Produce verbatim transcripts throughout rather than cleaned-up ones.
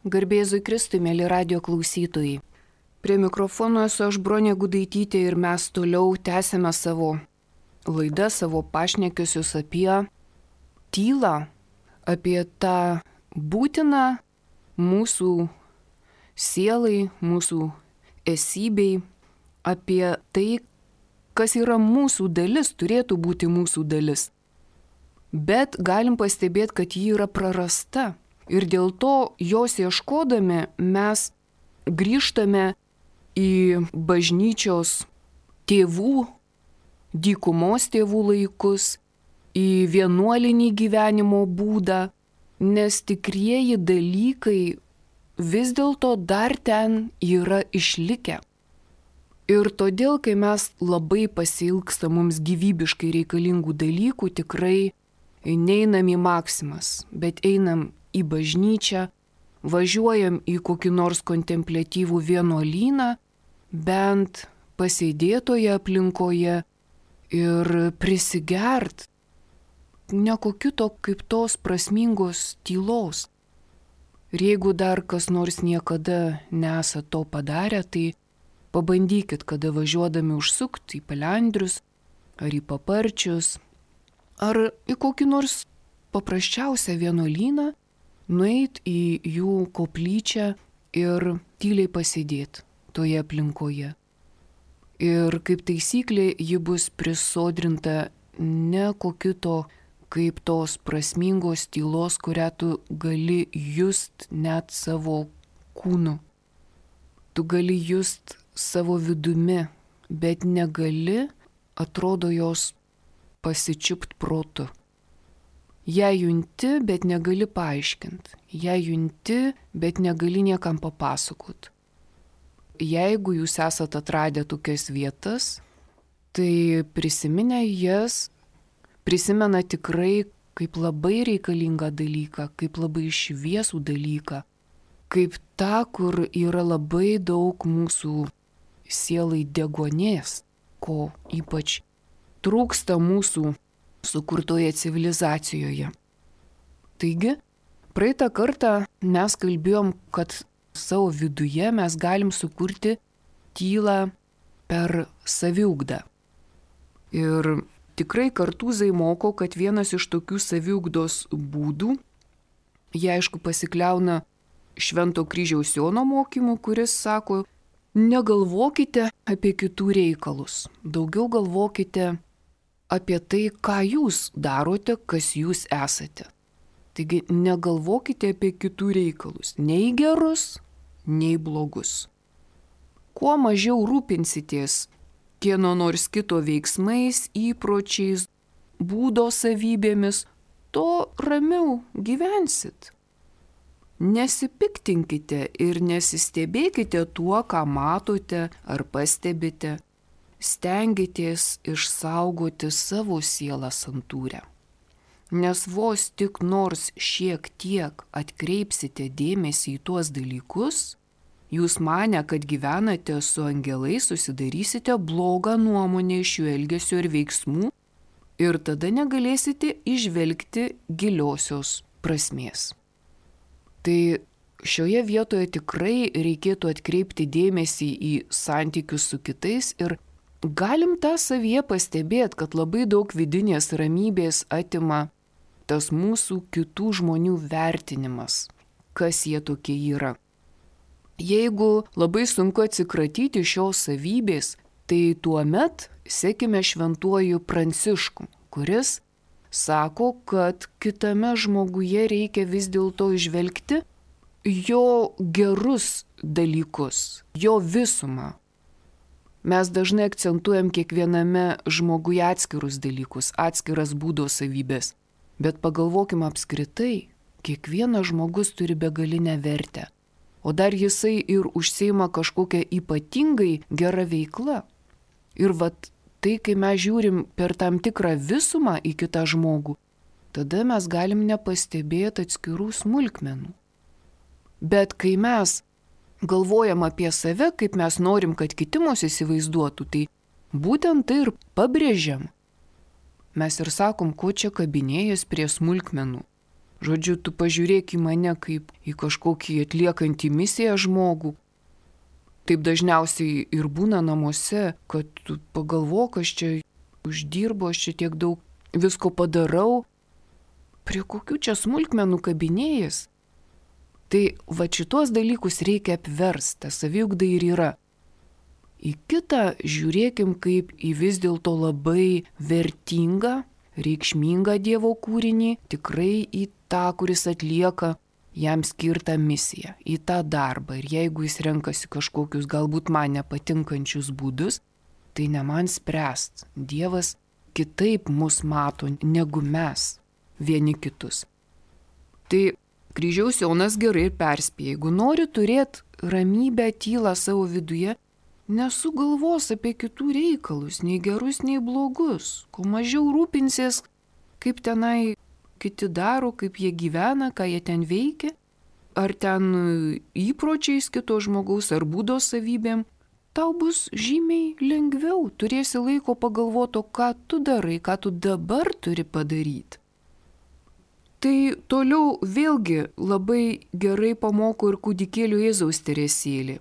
Garbėzui Kristui, mėly radio klausytojai. Prie mikrofono esu aš Bronė Gudaitytė ir mes toliau tęsime savo laidą, savo pašnekesius apie tylą, apie tą būtiną mūsų sielai, mūsų esybei, apie tai, kas yra mūsų dalis, turėtų būti mūsų dalis. Bet galim pastebėti, kad ji yra prarasta. Ir dėl to jos ieškodami mes grįžtame į bažnyčios tėvų, dykumos tėvų laikus, į vienuolinį gyvenimo būdą, nes tikrieji dalykai vis dėlto dar ten yra išlikę. Ir todėl, kai mes labai pasiilgsta mums gyvybiškai reikalingų dalykų, tikrai neinam į maksimas, bet einam į bažnyčią, važiuojam į kokį nors kontempliatyvų vienuolyną, bent pasėdėtoje aplinkoje ir prisigert ne kokito kaip tos prasmingos tylos. Ir jeigu dar kas nors niekada nesat to padarę, tai pabandykit, kada važiuodami užsukti į Pelendrius ar į Paparčius ar į kokį nors paprasčiausią vienuolyną, nueit į jų koplyčią ir tyliai pasėdėti toje aplinkoje. Ir kaip taisyklė, ji bus prisodrinta ne kokito kaip tos prasmingos tylos, kurią tu gali just net savo kūnu. Tu gali just savo vidumi, bet negali, atrodo, jos pasičiupt protu. Ją junti, bet negali paaiškinti. Ją junti, bet negali niekam papasakot. Jeigu jūs esate atradę tokias vietas, tai prisiminę jas, prisimena tikrai kaip labai reikalingą dalyką, kaip labai šviesų dalyką, kaip tą, kur yra labai daug mūsų sielai degonės, ko ypač trūksta mūsų sukurtoje civilizacijoje. Taigi, praeitą kartą mes kalbėjom, kad savo viduje mes galim sukurti tylą per saviugdą. Ir tikrai Kartūzai moko, kad vienas iš tokių saviugdos būdų, jie aišku pasikliauna Švento Kryžiaus Jono mokymu, kuris sako, negalvokite apie kitų reikalus, daugiau galvokite apie tai, ką jūs darote, kas jūs esate. Taigi negalvokite apie kitų reikalus, nei gerus, nei blogus. Kuo mažiau rūpinsitės kieno nors kito veiksmais, įpročiais, būdo savybėmis, to ramiau gyvensit. Nesipiktinkite ir nesistebėkite tuo, ką matote ar pastebite. Stengitės išsaugoti savo sielą santūrę. Nes vos tik nors šiek tiek atkreipsite dėmesį į tuos dalykus, jūs manę, kad gyvenate su angelais, susidarysite blogą nuomonę iš jų elgesio ir veiksmų ir tada negalėsite įžvelgti giliosios prasmės. Tai šioje vietoje tikrai reikėtų atkreipti dėmesį į santykius su kitais ir galim tą savyje pastebėti, kad labai daug vidinės ramybės atima tas mūsų kitų žmonių vertinimas, kas jie tokie yra. Jeigu labai sunku atsikratyti šios savybės, tai tuomet sekime šventuoju Prancišku, kuris sako, kad kitame žmoguje reikia vis dėlto įžvelgti jo gerus dalykus, jo visumą. Mes dažnai akcentuojam kiekviename žmoguje atskirus dalykus, atskiras būdo savybės. Bet pagalvokime apskritai, kiekvienas žmogus turi begalinę vertę. O dar jisai ir užsiima kažkokią ypatingai gerą veiklą. Ir vat tai, kai mes žiūrim per tam tikrą visumą į kitą žmogų, tada mes galim nepastebėti atskirų smulkmenų. Bet kai mes galvojam apie save, kaip mes norim, kad kiti mus įsivaizduotų, tai būtent tai ir pabrėžiam. Mes ir sakom, ko čia kabinėjas prie smulkmenų. Žodžiu, tu pažiūrėk į mane kaip į kažkokį atliekantį misiją žmogų. Taip dažniausiai ir būna namuose, kad tu pagalvok, aš čia uždirbu, aš čia tiek daug visko padarau. Prie kokių čia smulkmenų kabinėjas? Tai va šitos dalykus reikia apversti, saviugda ir yra. Į kitą žiūrėkim kaip į vis dėlto labai vertingą, reikšmingą Dievo kūrinį, tikrai į tą, kuris atlieka jam skirtą misiją, į tą darbą. Ir jeigu jis renkasi kažkokius galbūt man nepatinkančius būdus, tai ne man spręst. Dievas kitaip mus mato negu mes vieni kitus. Tai Kryžiaus Jonas gerai ir perspėja, jeigu nori turėti ramybę, tylą savo viduje, nesugalvos apie kitų reikalus, nei gerus, nei blogus. Kuo mažiau rūpinsies, kaip tenai kiti daro, kaip jie gyvena, ką jie ten veikia, ar ten įpročiais kito žmogaus, ar būdo savybėm, tau bus žymiai lengviau, turėsi laiko pagalvoto, ką tu darai, ką tu dabar turi padaryti. Tai toliau vėlgi labai gerai pamoko ir kūdikėlių Jėzaus Teresėlė.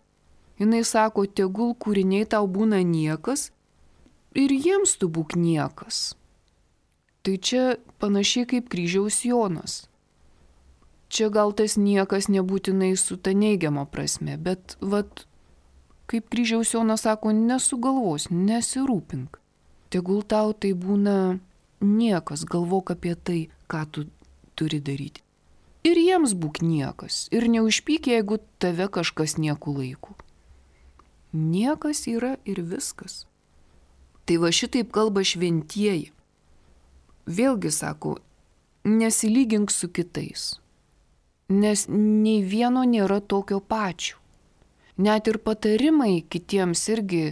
Jis sako, tegul kūriniai tau būna niekas ir jiems tu būk niekas. Tai čia panašiai kaip Kryžiaus Jonas. Čia gal tas niekas nebūtinai su ta neigiama prasme, bet vat, kaip Kryžiaus Jonas sako, nesugalvos, nesirūpink. Tegul tau tai būna niekas, galvok apie tai, ką tu turi daryti. Ir jiems būk niekas, ir neužpyk, jeigu tave kažkas nieku laiku. Niekas yra ir viskas. Tai va šitaip kalba šventieji. Vėlgi sako, nesilygink su kitais, nes nei vieno nėra tokio pačio. Net ir patarimai kitiems irgi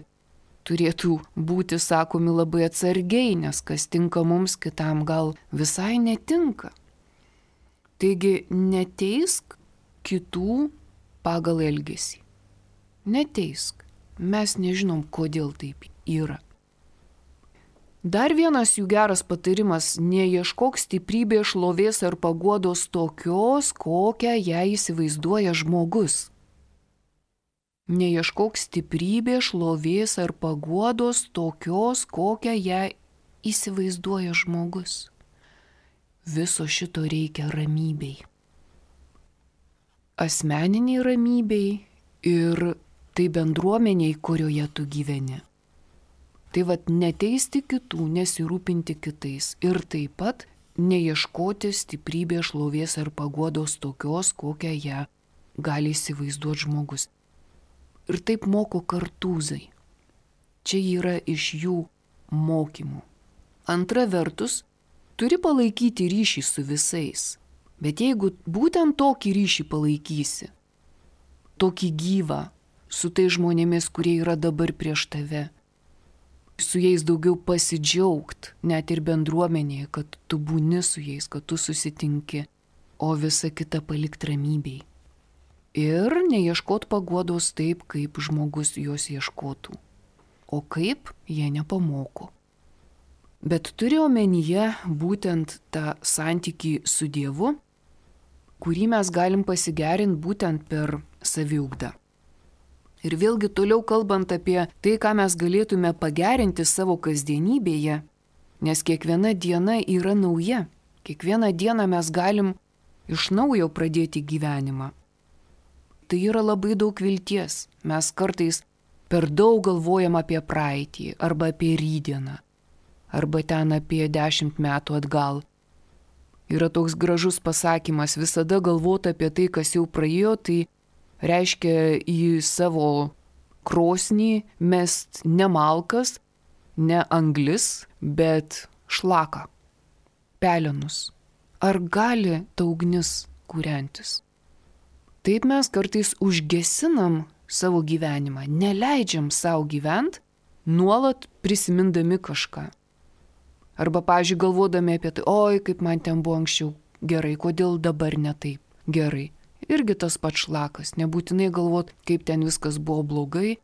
turėtų būti sakomi labai atsargiai, nes kas tinka mums, kitam gal visai netinka. Taigi neteisk kitų pagal elgesį. Neteisk. Mes nežinom, kodėl taip yra. Dar vienas jų geras patarimas – neieškok stiprybės, šlovės ar paguodos tokios, kokią ją įsivaizduoja žmogus. Neieškok stiprybės, šlovės ar paguodos tokios, kokią ją įsivaizduoja žmogus. Viso šito reikia ramybei. Asmeniniai ramybei ir tai bendruomeniai, kurioje tu gyveni. Tai vat neteisti kitų, nesirūpinti kitais ir taip pat neieškoti stiprybės, šlovės ar paguodos tokios, kokią ją gali įsivaizduoti žmogus. Ir taip moko Kartūzai. Čia yra iš jų mokymų. Antra vertus, turi palaikyti ryšį su visais. Bet jeigu būtent tokį ryšį palaikysi, tokį gyvą, su tai žmonėmis, kurie yra dabar prieš tave, su jais daugiau pasidžiaugt, net ir bendruomenėje, kad tu būni su jais, kad tu susitinki, o visa kita palikt ramybei. Ir neieškot paguodos taip, kaip žmogus jos ieškotų. O kaip, jie nepamoko. Bet turi omenyje būtent tą santykį su Dievu, kurį mes galim pasigerinti būtent per saviugdą. Ir vėlgi toliau kalbant apie tai, ką mes galėtume pagerinti savo kasdienybėje, nes kiekviena diena yra nauja. Kiekvieną dieną mes galim iš naujo pradėti gyvenimą. Tai yra labai daug vilties. Mes kartais per daug galvojam apie praeitį arba apie rytdieną, arba ten apie dešimt metų atgal. Yra toks gražus pasakymas, visada galvoti apie tai, kas jau praėjo, tai reiškia į savo krosnį mest ne malkas, ne anglis, bet šlaką, pelenus. Ar gali ta ugnis kūrentis? Taip mes kartais užgesinam savo gyvenimą, neleidžiam savo gyventi, nuolat prisimindami kažką. Arba, pavyzdžiui, galvodami apie tai, oi, kaip man ten buvo anksčiau gerai, kodėl dabar ne taip gerai. Irgi tas pats šlakas, nebūtinai galvot, kaip ten viskas buvo blogai,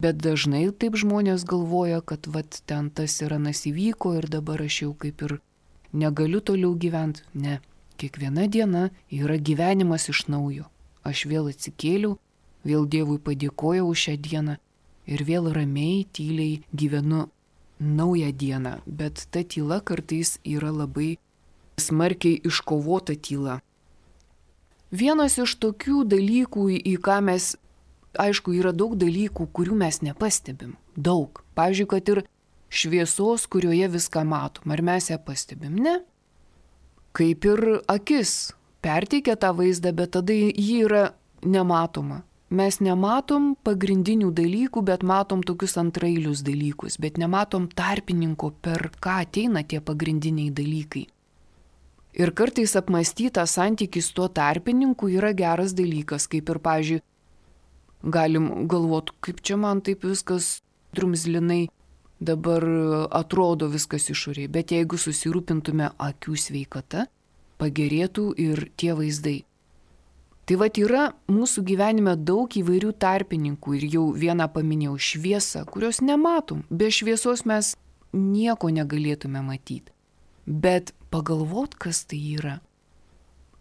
bet dažnai taip žmonės galvoja, kad vat ten tas ir anas įvyko ir dabar aš jau kaip ir negaliu toliau gyventi. Ne, kiekviena diena yra gyvenimas iš naujo. Aš vėl atsikėliau, vėl Dievui padėkojau už šią dieną ir vėl ramiai, tyliai gyvenu naują dieną. Bet ta tyla kartais yra labai smarkiai iškovota tyla. Vienas iš tokių dalykų, į ką mes, aišku, yra daug dalykų, kurių mes nepastebim. Daug. Pavyzdžiui, kad ir šviesos, kurioje viską matom. Ar mes ją pastebim? Ne. Kaip ir akis perteikia tą vaizdą, bet tada ji yra nematoma. Mes nematom pagrindinių dalykų, bet matom tokius antrailius dalykus, bet nematom tarpininko, per ką ateina tie pagrindiniai dalykai. Ir kartais apmąstytą santykį su tuo tarpininku yra geras dalykas, kaip ir, pavyzdžiui, galim galvoti, kaip čia man taip viskas drumzlinai dabar atrodo viskas išoriai, bet jeigu susirūpintume akių sveikata, pagerėtų ir tie vaizdai. Tai vat yra mūsų gyvenime daug įvairių tarpininkų ir jau vieną paminėjau šviesą, kurios nematom. Be šviesos mes nieko negalėtume matyti. Bet pagalvot, kas tai yra.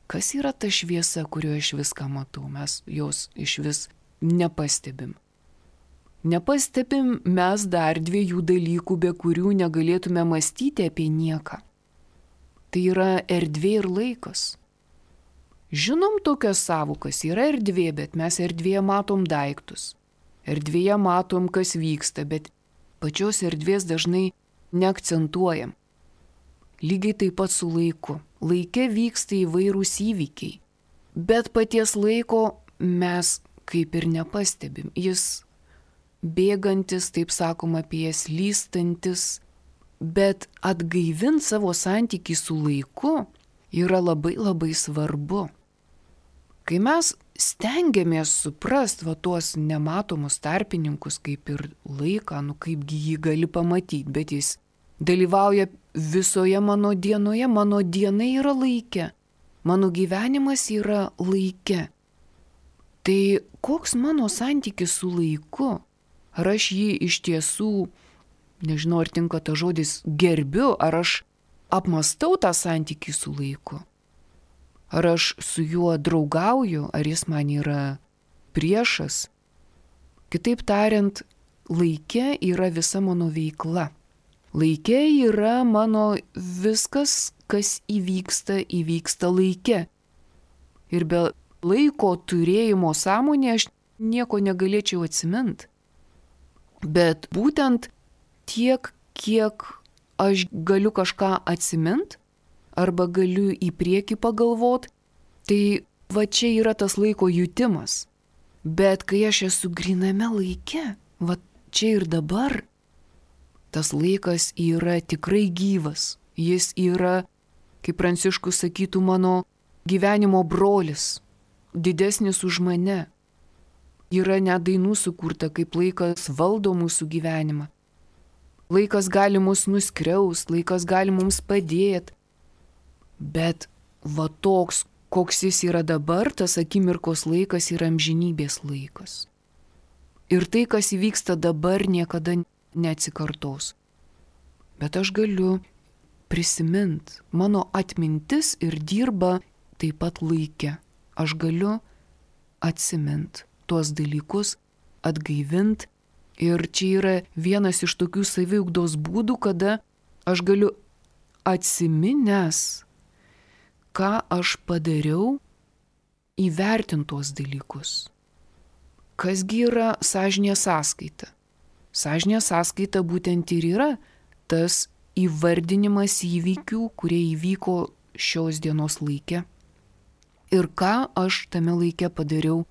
Kas yra ta šviesa, kurioje aš viską matau, mes jos iš vis nepastebim. Nepastebim mes dar dviejų dalykų, be kurių negalėtume mąstyti apie nieką. Tai yra erdvė ir laikas. Žinom tokias savokas, yra erdvė, bet mes erdvėje matom daiktus. Erdvėje matom, kas vyksta, bet pačios erdvės dažnai neakcentuojam. Lygiai taip pat su laiku. Laike vyksta įvairūs įvykiai, bet paties laiko mes kaip ir nepastebim. Jis bėgantis, taip sakoma, apie jas lystantis, bet atgaivint savo santykį su laiku yra labai labai svarbu. Kai mes stengiamės suprast va tuos nematomus tarpininkus, kaip ir laiką, nu kaipgi jį gali pamatyti, bet jis dalyvauja visoje mano dienoje, mano diena yra laike, mano gyvenimas yra laike. Tai koks mano santykis su laiku? Ar aš jį iš tiesų, nežinau, ar tinka ta žodis, gerbiu, ar aš apmastau tą santykį su laiku? Ar aš su juo draugauju, ar jis man yra priešas? Kitaip tariant, laike yra visa mano veikla. Laike yra mano viskas, kas įvyksta, įvyksta laike. Ir be laiko turėjimo sąmonė aš nieko negalėčiau atsiminti. Bet būtent tiek, kiek aš galiu kažką atsimint, arba galiu į priekį pagalvot, tai va čia yra tas laiko jutimas. Bet kai aš esu gryname laike, va čia ir dabar, tas laikas yra tikrai gyvas. Jis yra, kaip Pranciškus sakytų, mano gyvenimo brolis, didesnis už mane. Yra net dainų sukurta, kaip laikas valdo mūsų gyvenimą. Laikas gali mus nuskriaust, laikas gali mums padėti. Bet va toks, koks jis yra dabar, tas akimirkos laikas yra amžinybės laikas. Ir tai, kas įvyksta dabar, niekada neatsikartos. Bet aš galiu prisimint, mano atmintis ir dirba taip pat laike. Aš galiu atsimint tuos dalykus, atgaivint. Ir čia yra vienas iš tokių saviugdos būdų, kada aš galiu atsiminęs, ką aš padariau, įvertinti tuos dalykus. Kasgi yra sąžinės sąskaita? Sąžinės sąskaita būtent ir yra tas įvardinimas įvykių, kurie įvyko šios dienos laike. Ir ką aš tame laike padariau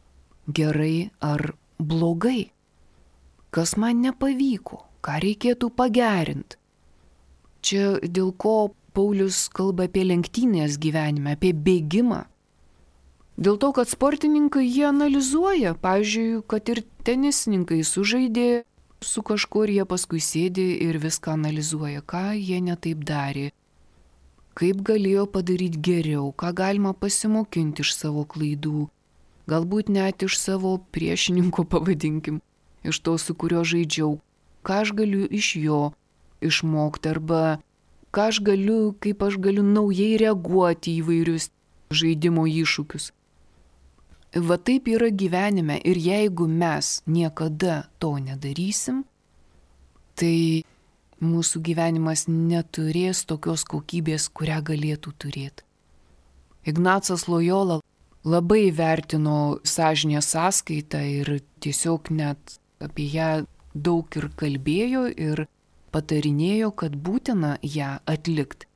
gerai ar blogai. Kas man nepavyko, ką reikėtų pagerinti. Čia dėl ko Paulius kalba apie lenktynės gyvenime, apie bėgimą. Dėl to, kad sportininkai jie analizuoja, pavyzdžiui, kad ir tenisininkai sužaidė su kažkuo ir jie paskui sėdi ir viską analizuoja, ką jie netaip darė, kaip galėjo padaryti geriau, ką galima pasimokinti iš savo klaidų, galbūt net iš savo priešininko, pavadinkim, iš to, su kuriuo žaidžiau, ką aš galiu iš jo išmokti, arba ką aš galiu, kaip aš galiu naujai reaguoti į vairius žaidimo iššūkius. Va taip yra gyvenime ir jeigu mes niekada to nedarysim, tai mūsų gyvenimas neturės tokios kokybės, kurią galėtų turėti. Ignacas Lojola labai vertino sąžinės sąskaitą ir tiesiog net apie ją daug ir kalbėjo ir patarinėjo, kad būtina ją atlikti.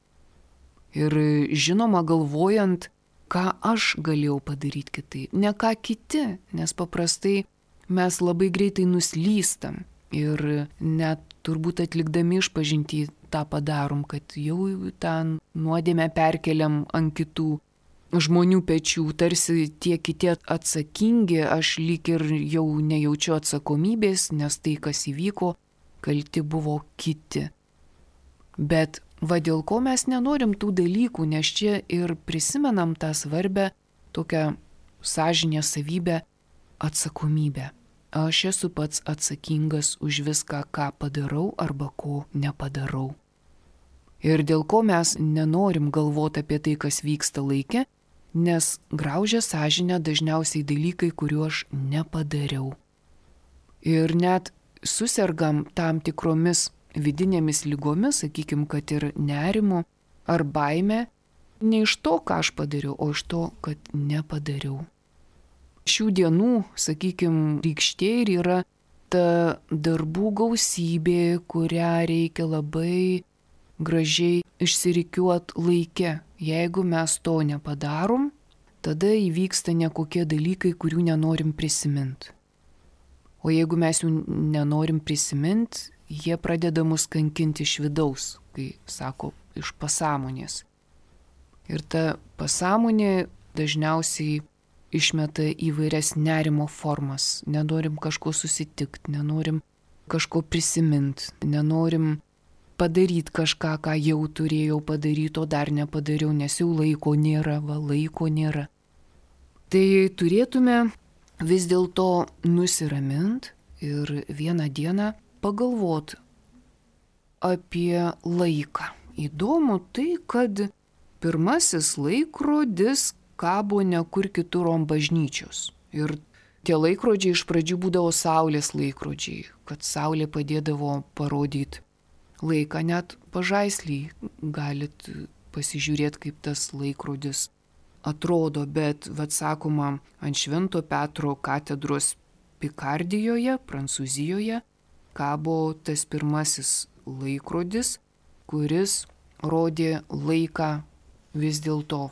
Ir žinoma, galvojant, ką aš galėjau padaryti kitaip, ne ką kiti, nes paprastai mes labai greitai nuslystam ir net turbūt atlikdami išpažintį tą padarom, kad jau tą nuodėmę perkeliam ant kitų žmonių pečių, tarsi tie kiti atsakingi, aš lyg ir jau nejaučiu atsakomybės, nes tai, kas įvyko, kalti buvo kiti. Bet va dėl ko mes nenorim tų dalykų, nes čia ir prisimenam tą svarbę tokią sąžinės savybę atsakomybę. Aš esu pats atsakingas už viską, ką padarau arba ko nepadarau. Ir dėl ko mes nenorim galvoti apie tai, kas vyksta laike, nes graužia sąžinę dažniausiai dalykai, kuriuos aš nepadariau. Ir net susergam tam tikromis vidinėmis lygomis, sakykim, kad ir nerimo ar baime, ne iš to, ką aš padariau, o iš to, kad nepadariau. Šių dienų, sakykim, rykštė ir yra ta darbų gausybė, kurią reikia labai gražiai išsirikiuot laike. Jeigu mes to nepadarom, tada įvyksta nekokie dalykai, kurių nenorim prisiminti. O jeigu mes jų nenorim prisiminti, jie pradeda mus kankinti iš vidaus, kai sako, iš pasąmonės. Ir ta pasąmonė dažniausiai išmeta įvairias nerimo formas. Nenorim kažko susitikti, nenorim kažko prisiminti, nenorim padaryti kažką, ką jau turėjau padaryti, o dar nepadariau, nes jau laiko nėra, va laiko nėra. Tai turėtume vis dėlto nusiraminti ir vieną dieną pagalvoti apie laiką. Įdomu tai, kad pirmasis laikrodis kabo ne kur kitur ant bažnyčios. Ir tie laikrodžiai iš pradžių būdavo saulės laikrodžiai, kad saulė padėdavo parodyti laiką. Net pažaislį galit pasižiūrėti, kaip tas laikrodis atrodo, bet, vad sakoma, ant Švento Petro katedros Pikardijoje, Prancūzijoje, kabo tas pirmasis laikrodis, kuris rodė laiką vis dėlto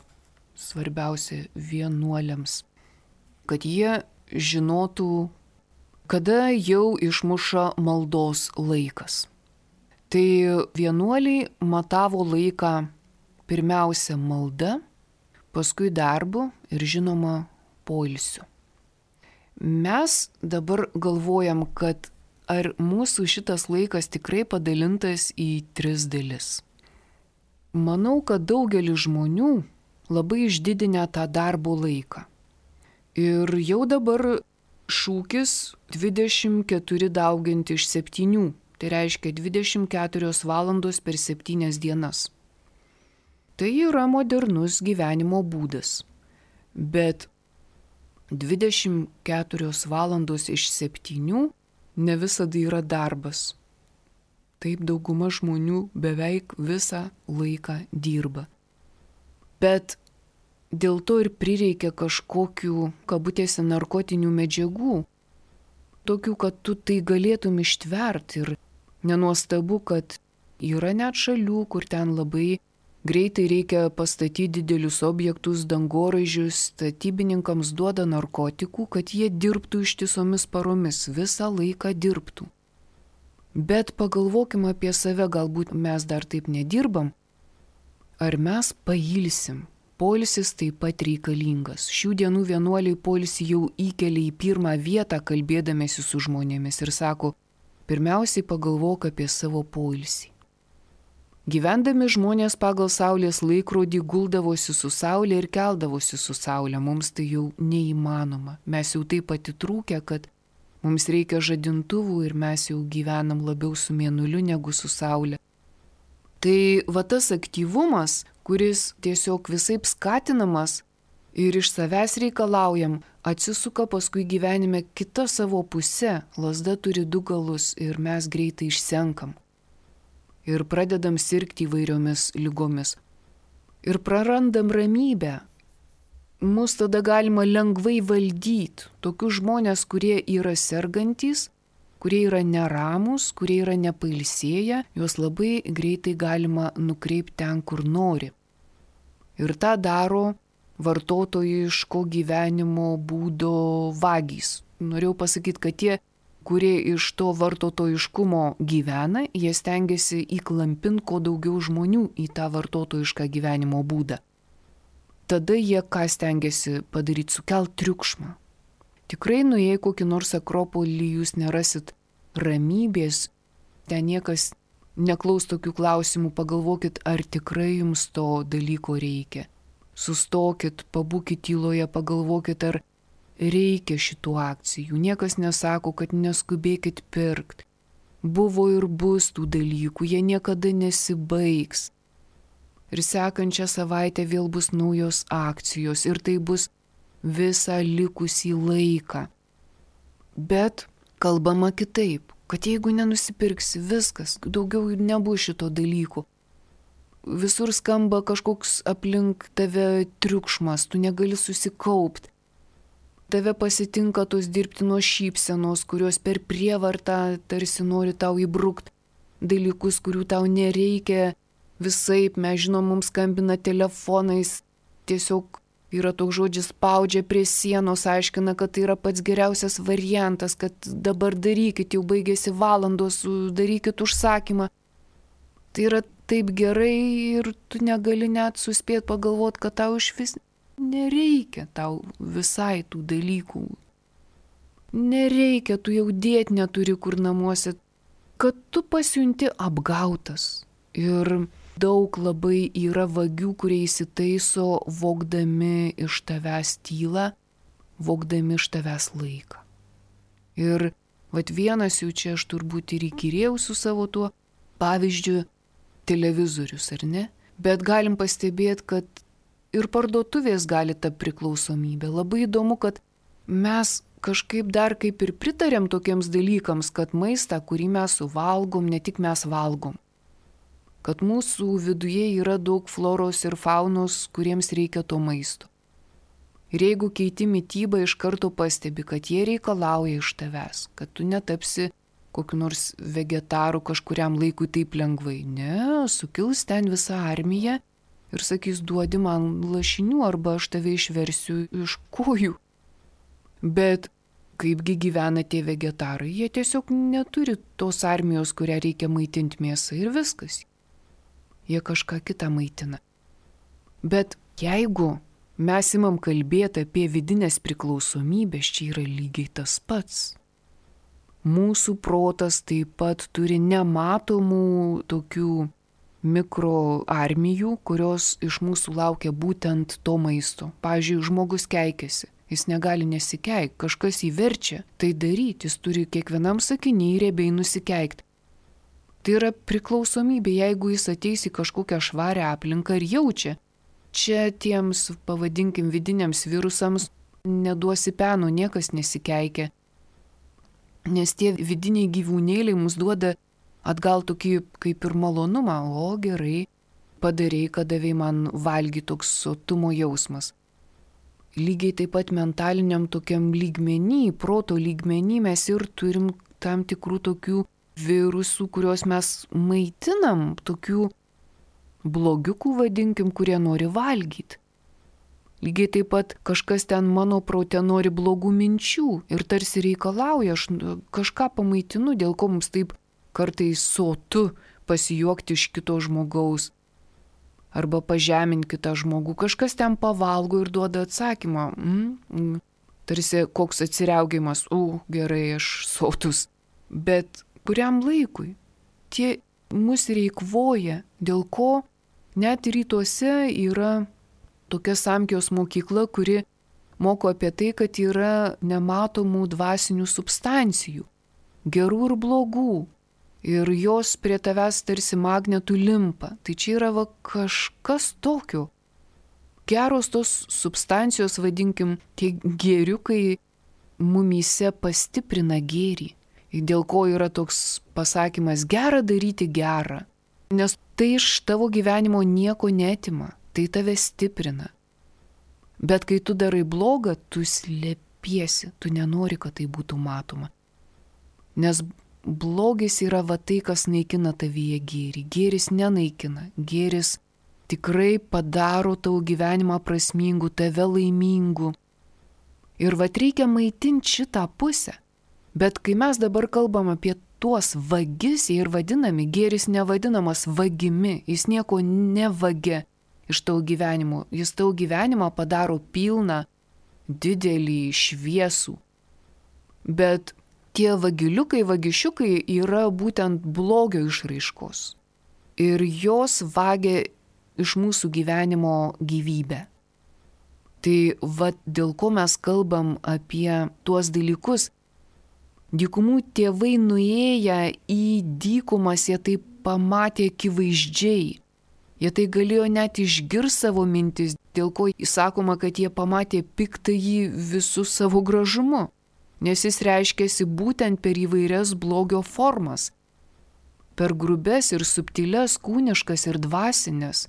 svarbiausia vienuoliams, kad jie žinotų, kada jau išmuša maldos laikas. Tai vienuoliai matavo laiką pirmiausia malda, paskui darbu ir žinoma poilsiu. Mes dabar galvojam, kad ar mūsų šitas laikas tikrai padalintas į tris dalis. Manau, kad daugelis žmonių labai išdidinę tą darbo laiką. Ir jau dabar šūkis dvidešimt keturi dauginti iš septynių. Tai reiškia dvidešimt keturios valandos per septynias dienas. Tai yra modernus gyvenimo būdas. Bet dvidešimt keturios valandos iš septynių ne visada yra darbas. Taip dauguma žmonių beveik visą laiką dirba. Bet dėl to ir prireikia kažkokių, kabutėse, narkotinių medžiagų. Tokių, kad tu tai galėtum ištverti. Ir nenuostabu, kad yra net šalių, kur ten labai greitai reikia pastatyti didelius objektus, dangoraižius, statybininkams duoda narkotikų, kad jie dirbtų ištisomis paromis, visą laiką dirbtų. Bet pagalvokim apie save, galbūt mes dar taip nedirbam. Ar mes pailsim? Poilsis taip pat reikalingas. Šių dienų vienuoliai poilsį jau įkelia į pirmą vietą, kalbėdamėsi su žmonėmis ir sako, pirmiausiai pagalvok apie savo poilsį. Gyvendami žmonės pagal saulės laikrodį guldavosi su saulė ir keldavosi su saulė. Mums tai jau neįmanoma. Mes jau taip atitrūkę, kad mums reikia žadintuvų ir mes jau gyvenam labiau su mėnuliu negu su saulė. Tai va tas aktyvumas, kuris tiesiog visaip skatinamas, ir iš savęs reikalaujam, atsisuka paskui gyvenime kita savo pusė, lazda turi du galus ir mes greitai išsenkam. Ir pradedam sirgti įvairiomis lygomis. Ir prarandam ramybę. Mus tada galima lengvai valdyti. Tokius žmonės, kurie yra sergantys, kurie yra neramus, kurie yra nepailsėję, juos labai greitai galima nukreipti ten, kur nori. Ir tą daro vartotojiško gyvenimo būdo vagys. Norėjau pasakyti, kad tie, kurie iš to vartotojiškumo gyvena, jie stengiasi įklampinti kuo daugiau žmonių į tą vartotojišką gyvenimo būdą. Tada jie ką stengiasi padaryti, sukelt triukšmą. Tikrai nuėję kokį nors Akropolį jūs nerasit ramybės, ten niekas neklaus tokių klausimų, pagalvokit, ar tikrai jums to dalyko reikia. Sustokit, pabūkit tyloje, pagalvokit, ar reikia šitų akcijų. Niekas nesako, kad neskubėkit pirkt. Buvo ir bus tų dalykų, jie niekada nesibaigs. Ir sekančią savaitę vėl bus naujos akcijos ir tai bus visą likusį laiką. Bet kalbama kitaip, kad jeigu nenusipirksi viskas, daugiau nebus šito dalykų. Visur skamba kažkoks aplink tave triukšmas, tu negali susikaupti. Tave pasitinka tos dirbtinos šypsenos, kurios per prievartą tarsi nori tau įbrukti dalykus, kurių tau nereikia. Visaip, mes žinom, mums skambina telefonais, tiesiog yra toks žodžis spaudžia prie sienos, aiškina, kad tai yra pats geriausias variantas, kad dabar darykit, jau baigėsi valandos, darykit užsakymą. Tai yra taip gerai ir tu negali net suspėti pagalvoti, kad tau iš vis nereikia tau visai tų dalykų. Nereikia, tu jau dėti neturi kur namuose, kad tu pasijunti apgautas. Ir daug labai yra vagių, kurie įsitaiso vogdami iš tavęs tylą, vogdami iš tavęs laiką. Ir vat vienas jų čia aš turbūt ir įkyrėjau su savo tuo pavyzdžiu televizorius, ar ne? Bet galim pastebėti, kad ir parduotuvės gali ta priklausomybė. Labai įdomu, kad mes kažkaip dar kaip ir pritarėm tokiems dalykams, kad maistą, kurį mes suvalgom, ne tik mes valgom. Kad mūsų viduje yra daug floros ir faunos, kuriems reikia to maisto. Ir jeigu keiti mitybą, iš karto pastebi, kad jie reikalauja iš tavęs, kad tu netapsi kokiu nors vegetaru kažkuriam laikui taip lengvai. Ne, sukils ten visa armija ir sakys, duodi man lašinių arba aš tave išversiu iš kojų. Bet kaipgi gyvena tie vegetarai, jie tiesiog neturi tos armijos, kurią reikia maitinti mėsą ir viskas. Jie kažką kitą maitina. Bet jeigu mes imam kalbėti apie vidinės priklausomybės, čia yra lygiai tas pats. Mūsų protas taip pat turi nematomų tokių mikroarmijų, kurios iš mūsų laukia būtent to maisto. Pavyzdžiui, žmogus keikiasi, jis negali nesikeikti, kažkas jį verčia tai daryti, jis turi kiekvienam sakiniai riebiai nusikeikti. Tai yra priklausomybė, jeigu jis ateis į kažkokią švarę aplinką ir jaučia. Čia tiems, pavadinkim, vidiniams virusams neduosi peno, niekas nesikeikia. Nes tie vidiniai gyvūnėliai mums duoda atgal tokį kaip ir malonumą. O gerai, padarei, kad davei man valgy, toks sotumo jausmas. Lygiai taip pat mentaliniam tokiam lygmenį, proto lygmenį mes ir turim tam tikrų tokių virusų, kuriuos mes maitinam, tokių blogiukų vadinkim, kurie nori valgyti. Lygiai taip pat kažkas ten mano prote nori blogų minčių ir tarsi reikalauja, aš kažką pamaitinu, dėl ko mums taip kartais sotu pasijuokti iš kito žmogaus arba pažeminti kitą žmogų. Kažkas ten pavalgo ir duoda atsakymą. Mm, mm. Tarsi koks atsiriaugimas, u, gerai, aš sotus. Bet kuriam laikui tie mus reikvoja, dėl ko net rytuose yra tokia Samkijos mokykla, kuri moko apie tai, kad yra nematomų dvasinių substancijų, gerų ir blogų, ir jos prie tavęs tarsi magnetų limpa. Tai čia yra va kažkas tokio. geros tos substancijos, vadinkim, tie gėriukai mumyse pastiprina gėrį. Dėl ko yra toks pasakymas gera daryti gerą. Nes tai iš tavo gyvenimo nieko netima, tai tave stiprina. Bet kai tu darai blogą, tu slėpiesi, tu nenori, kad tai būtų matoma. Nes blogis yra va tai, kas naikina tavyje gėrį. Gėris nenaikina, gėris tikrai padaro tavo gyvenimą prasmingu, tave laimingu. Ir va reikia maitinti šitą pusę. Bet kai mes dabar kalbam apie tuos vagis, jie ir vadinami, gėris nevadinamas vagimi, jis nieko nevagia iš tavo gyvenimo, jis tavo gyvenimą padaro pilną, didelį, šviesų. Bet tie vagiliukai, vagišiukai yra būtent blogio išraiškos. Ir jos vagia iš mūsų gyvenimo gyvybę. Tai va dėl ko mes kalbam apie tuos dalykus. Dykumų tėvai nuėję į dykumas, jie tai pamatė akivaizdžiai. Jie tai galėjo net išgirsti savo mintis, dėl ko įsakoma, kad jie pamatė piktąjį visų savo gražumu. Nes jis reiškėsi būtent per įvairias blogio formas. Per grubes ir subtiles, kūniškas ir dvasinės.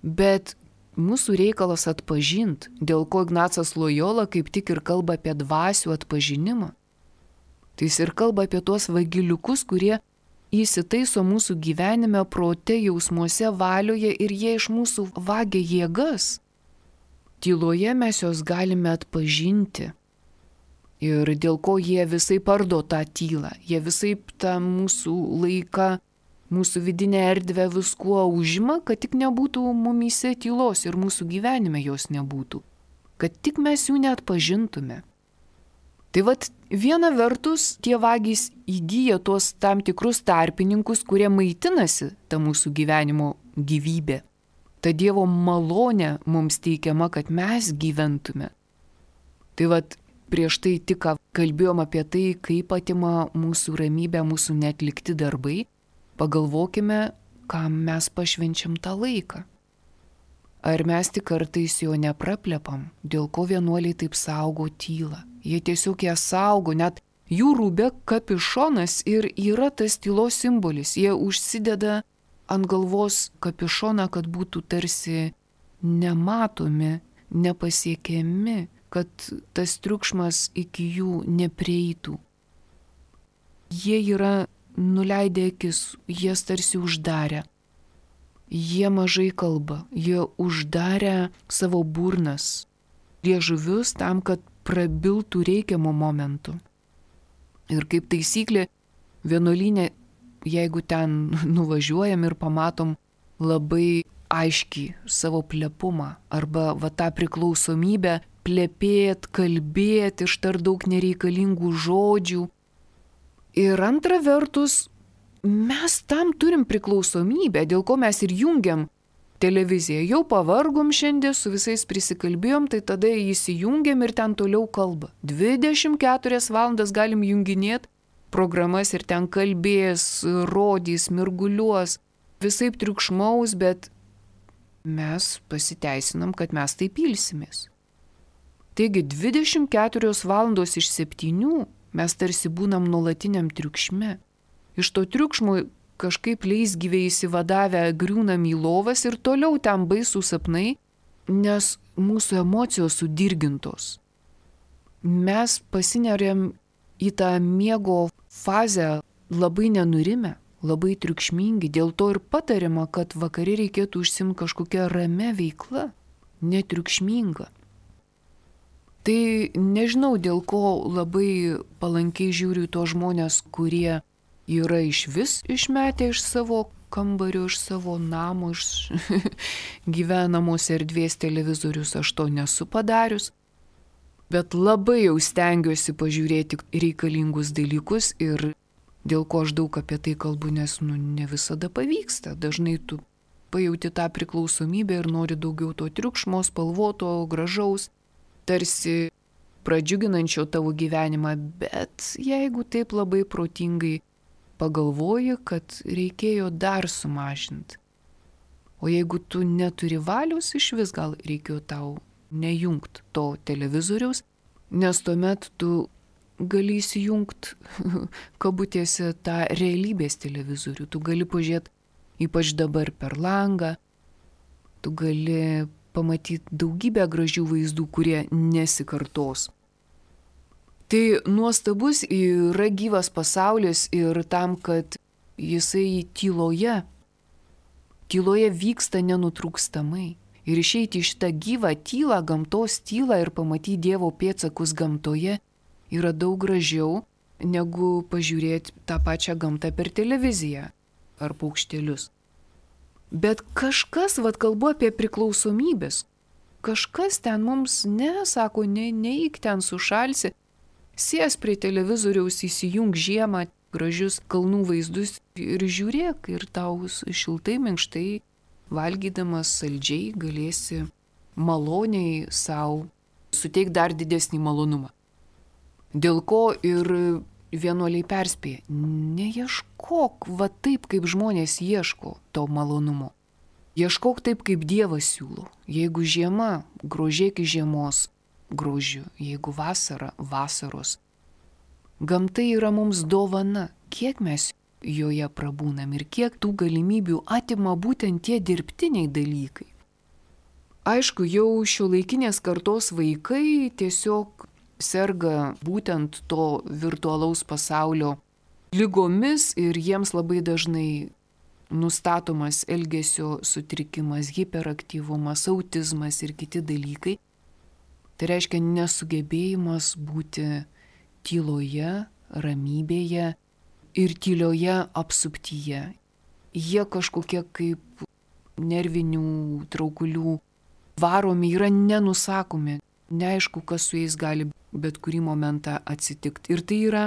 Bet mūsų reikalas atpažint, dėl ko Ignacas Lojola kaip tik ir kalba apie dvasių atpažinimą. Tai jis ir kalba apie tuos vagiliukus, kurie įsitaiso mūsų gyvenime, prote, jausmuose, valioje ir jie iš mūsų vagia jėgas. Tyloje mes juos galime atpažinti. Ir dėl ko jie visai pardo tą tylą. Jie visai tą mūsų laiką, mūsų vidinę erdvę viskuo užima, kad tik nebūtų mumyse tylos ir mūsų gyvenime jos nebūtų. Kad tik mes jų neatpažintume. Tai vat viena vertus tie vagys įgyja tuos tam tikrus tarpininkus, kurie maitinasi tą mūsų gyvenimo gyvybę. Ta Dievo malonė mums teikiama, kad mes gyventume. Tai vat prieš tai tik kalbėjom apie tai, kaip atima mūsų ramybę, mūsų neatlikti darbai. Pagalvokime, kam mes pašvenčiam tą laiką. Ar mes tik kartais jo nepraplepam, dėl ko vienuoliai taip saugo tylą. Jie tiesiog ją saugo, net jų rūbė kapišonas ir yra tas tylos simbolis. Jie užsideda ant galvos kapišoną, kad būtų tarsi nematomi, nepasiekiami, kad tas triukšmas iki jų neprieitų. Jie yra nuleidę akis, jie tarsi uždarę. Jie mažai kalba, jie uždarę savo burnas, liežuvius tam, kad prabiltų reikiamo momentu. Ir kaip taisyklė, vienuolyne, jeigu ten nuvažiuojam ir pamatom labai aiškiai savo plepumą arba va tą priklausomybę plepėt, kalbėt, ištart daug nereikalingų žodžių. Ir antra vertus, mes tam turim priklausomybę, dėl ko mes ir jungiam televiziją. Jau pavargom šiandien, su visais prisikalbėjom, tai tada įsijungiam ir ten toliau kalba. dvidešimt keturias valandas galim junginėti programas ir ten kalbės, rodys, mirguliuos, visaip triukšmaus, bet mes pasiteisinam, kad mes taip ilsimės. Taigi dvidešimt keturios valandos iš septynių mes tarsi būnam nuolatiniam triukšme. Iš to triukšmo kažkaip leisgyviai įsivadavę griūnam į lovas ir toliau ten baisų sapnai, nes mūsų emocijos sudirgintos. Mes pasineriam į tą miego fazę labai nenurime, labai triukšmingi, dėl to ir patariama, kad vakare reikėtų užsimti kažkokią ramę veiklą, netriukšmingą. Tai nežinau, dėl ko labai palankiai žiūriu to žmonės, kurie yra iš vis išmetę iš savo kambario, iš savo namo, iš gyvenamos erdvės televizorius, aš to nesu padarius. Bet labai jau stengiuosi pažiūrėti reikalingus dalykus ir dėl ko aš daug apie tai kalbu, nes nu, ne visada pavyksta. Dažnai tu pajauti tą priklausomybę ir nori daugiau to triukšmo, spalvoto, gražaus, tarsi pradžiuginančio tavo gyvenimą, bet jeigu taip labai protingai pagalvoji, kad reikėjo dar sumažinti. O jeigu tu neturi valios, iš vis gal reikėjo tau nejungt to televizoriaus, nes tuomet tu gali įsijungt kabutėse tą realybės televizorių. Tu gali pažiūrėti, ypač dabar per langą, tu gali pamatyti daugybę gražių vaizdų, kurie nesikartos. Tai nuostabus yra gyvas pasaulis ir tam, kad jisai tyloje, tyloje vyksta nenutrūkstamai. Ir išeiti iš tą gyvą tylą, gamtos tylą ir pamatyti Dievo pėdsakus gamtoje yra daug gražiau, negu pažiūrėti tą pačią gamtą per televiziją ar paukštelius. Bet kažkas, vad kalbu apie priklausomybės, kažkas ten mums nesako, ne, neik ten sušalsi, sės prie televizoriaus, įsijung žiemą, gražius kalnų vaizdus ir žiūrėk, ir tau šiltai, minkštai, valgydamas saldžiai galėsi maloniai savo suteikti dar didesnį malonumą. Dėl ko ir vienuoliai perspėja, neieškok va taip, kaip žmonės ieško to malonumo. Ieškok taip, kaip Dievas siūlo. Jeigu žiema, grožėk žiemos grožiu, jeigu vasara, vasaros. Gamta yra mums dovana, kiek mes joje prabūnam ir kiek tų galimybių atima būtent tie dirbtiniai dalykai. Aišku, jau šiuolaikinės kartos vaikai tiesiog serga būtent to virtualaus pasaulio ligomis ir jiems labai dažnai nustatomas elgesio sutrikimas, hiperaktyvumas, autizmas ir kiti dalykai. Tai reiškia nesugebėjimas būti tyloje, ramybėje ir tylioje apsuptyje. Jie kažkokie kaip nervinių traukulių varomi yra nenusakomi. Neaišku, kas su jais gali bet kurį momentą atsitikti. Ir tai yra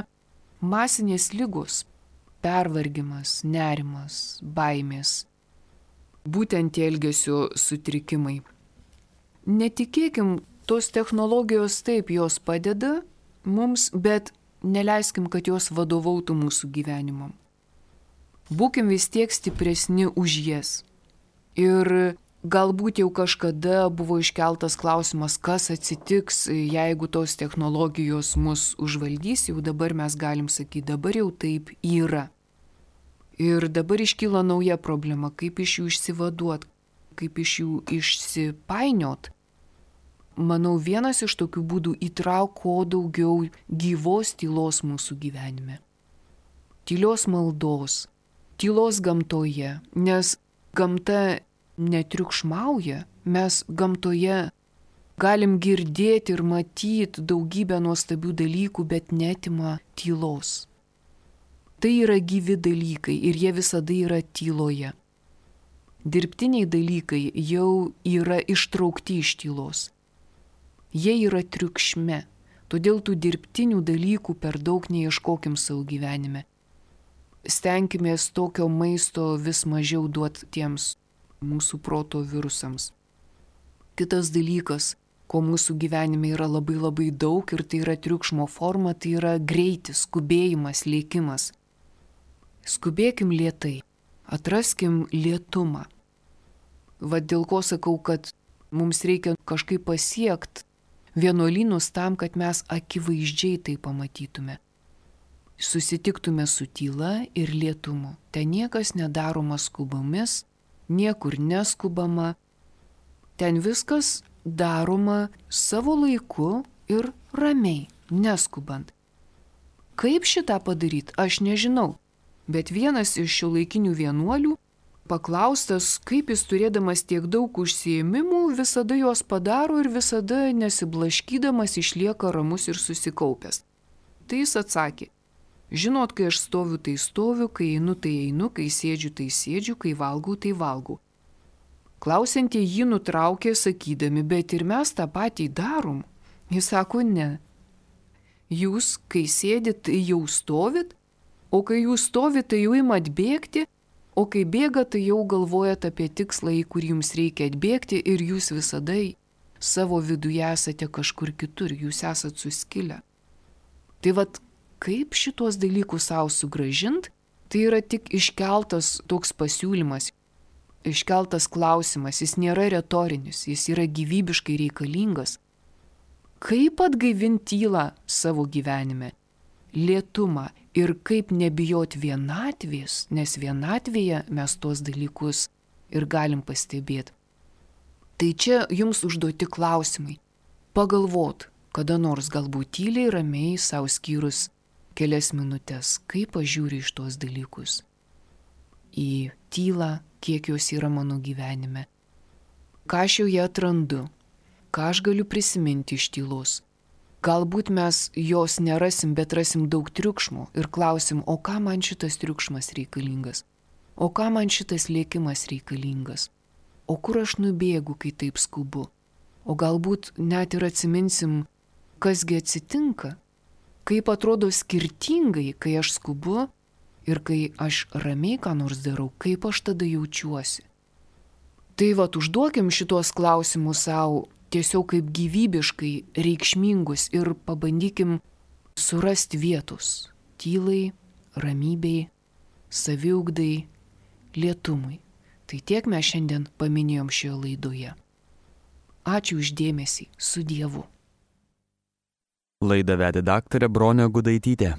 masinės ligos, pervargimas, nerimas, baimės. Būtent tie elgesio sutrikimai. Netikėkim, tos technologijos taip, jos padeda mums, bet neleiskim, kad jos vadovautų mūsų gyvenimam. Būkim vis tiek stipresni už jas. Ir galbūt jau kažkada buvo iškeltas klausimas, kas atsitiks, jeigu tos technologijos mus užvaldys, jau dabar mes galim sakyti, dabar jau taip yra. Ir dabar iškyla nauja problema, kaip iš jų išsivaduot, kaip iš jų išsipainiot. Manau, vienas iš tokių būdų įtrauk kuo daugiau gyvos tylos mūsų gyvenime. Tylios maldos, tylos gamtoje, nes gamta netriukšmauja, mes gamtoje galim girdėti ir matyti daugybę nuostabių dalykų, bet netima tylos. Tai yra gyvi dalykai ir jie visada yra tyloje. Dirbtiniai dalykai jau yra ištraukti iš tylos. Jie yra triukšme, todėl tų dirbtinių dalykų per daug neieškokim savo gyvenime. Stenkimės tokio maisto vis mažiau duoti tiems mūsų proto virusams. Kitas dalykas, ko mūsų gyvenime yra labai labai daug ir tai yra triukšmo forma, tai yra greitis, skubėjimas, lėkimas. Skubėkim lėtai, atraskim lėtumą. Va dėl ko sakau, kad mums reikia kažkaip pasiekti vienuolynus tam, kad mes akivaizdžiai tai pamatytume. Susitiktume su tyla ir lėtumu. Ten niekas nedaroma skubomis, niekur neskubama. Ten viskas daroma savo laiku ir ramiai, neskubant. Kaip šitą padaryti, aš nežinau. Bet vienas iš šiuolaikinių vienuolių, paklaustas, kaip jis turėdamas tiek daug užsiėmimų, visada juos padaro ir visada nesiblaškydamas išlieka ramus ir susikaupęs. Tai jis atsakė, žinot, kai aš stoviu, tai stoviu, kai einu, tai einu, kai sėdžiu, tai sėdžiu, kai valgau, tai valgau. Klausiantieji jį nutraukė sakydami, bet ir mes tą patį darom. Jis sako, ne. Jūs, kai sėdit, tai jau stovit, o kai jūs stovit, tai jau imat bėgti, o kai bėga, tai jau galvojat apie tikslą, į kurį jums reikia atbėgti ir jūs visada savo viduje esate kažkur kitur, jūs esat suskilę. Tai vat, kaip šitos dalykus savo sugražint, tai yra tik iškeltas toks pasiūlymas. iškeltas klausimas, jis nėra retorinis, jis yra gyvybiškai reikalingas. Kaip atgaivinti tylą savo gyvenime, lėtumą ir kaip nebijot vienatvės, nes vienatvėje mes tuos dalykus ir galim pastebėti. Tai čia jums užduoti klausimai. Pagalvot, kada nors galbūt tyliai, ramiai, savo skyrus kelias minutės, kaip aš žiūriu iš tuos dalykus. Į tylą, kiek jos yra mano gyvenime. Ką aš joje atrandu, ką aš galiu prisiminti iš tylos. Galbūt mes jos nerasim, bet rasim daug triukšmo ir klausim, o ką man šitas triukšmas reikalingas, o ką man šitas lėkimas reikalingas, o kur aš nubėgu, kai taip skubu. O galbūt net ir atsiminsim, kasgi atsitinka, kaip atrodo skirtingai, kai aš skubu ir kai aš ramiai ką nors darau, kaip aš tada jaučiuosi. Tai vat užduokim šitos klausimus savo tiesiog kaip gyvybiškai reikšmingus ir pabandykim surasti vietos tylai, ramybei, saviugdai, lėtumui. Tai tiek mes šiandien paminėjom šioje laidoje. Ačiū už dėmesį, su Dievu. Laidą vedė daktarė Bronė Gudaitytė.